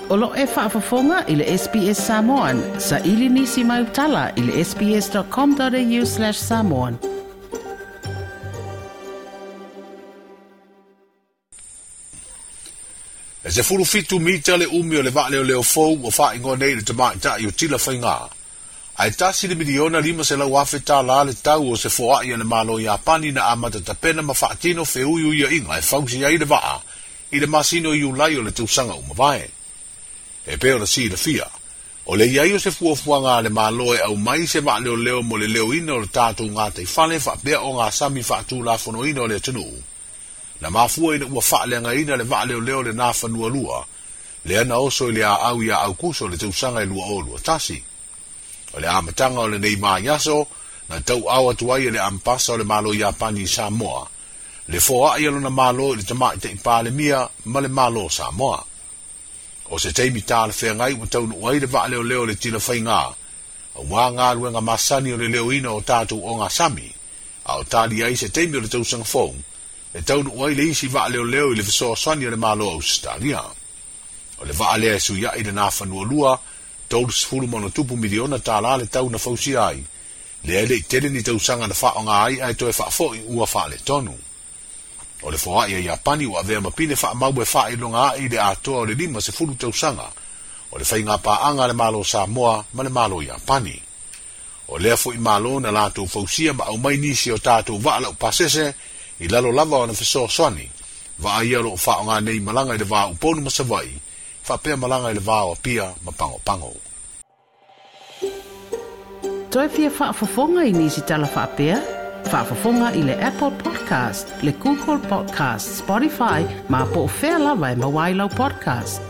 O lo o e faafofoga i le SBS Samoan, saili nisi mau tala i le sbs.com.au/samoan. E 17 mita le umi o le vaaleoleo fou ua faaigoa nei i le tamaitai o Tilafaiga. Ae $1,500,000 le tau o se foai a le Malo o Iapani na amata tapena ma faatino feuiuiaiga e fausia ai le vaa i le masina o Iulai o le tausaga ua mavae. E pei ona silafia, o le i ai o se fuafuaga a le Malo e aumai se vaaleoleo mo le leoina o le tatou gataifale faapea ogasami faatulafonoina o le atunuu, na mafua ina ua faaleagaina le vaaleoleo le Nafanua 2, lea na oso i le aau ia Aukuso o le tausaga e 2021. O le amataga o lenei vaiaso, na tauaao atu ai e le Ambasa o le Malo Iapani i Samoa, le foai a lona Malo i le Tamaitai Palemia ma le Malo o Samoa. O se taimi talafeagai ua taunuu ai le vaaleoleo o le Tilafaiga, aua galuega masani o le leoina o tatou ogasami, a o tali ai se taimi o le tausaga fou, e taunuu ai le isi vaaleoleo i le fesoasoani a le Malo o Ausetalia. O le vaa lea e suiai le Nafanua 2, $30+ miliona le tau na fausia ai, lea e le i tele ni tausaga na faaaoga ai ae toe faafoi ua faaletonu. O le foai a Iapani ua avea ma pine faamau e faailoga ai le atoa o le 50 tausaga o le faiga paaga a le Malo o Samoa ma le Malo o Iapani. O lea foi Malo na latou fausia ma aumai nisi o tatou vaa laupasese i lalo lava o ana fesoasoani, vaa ia o lo o faaaoga nei malaga i le va o Upolu ma Savaii, faapea malaga i le va o Apia ma Pagopago. Toe fia faafofoga i nisi tala faapea? Faafofoga i le Apple Podcast, le Google Podcast, Spotify, ma po o fea lava e maua ai lau podcast.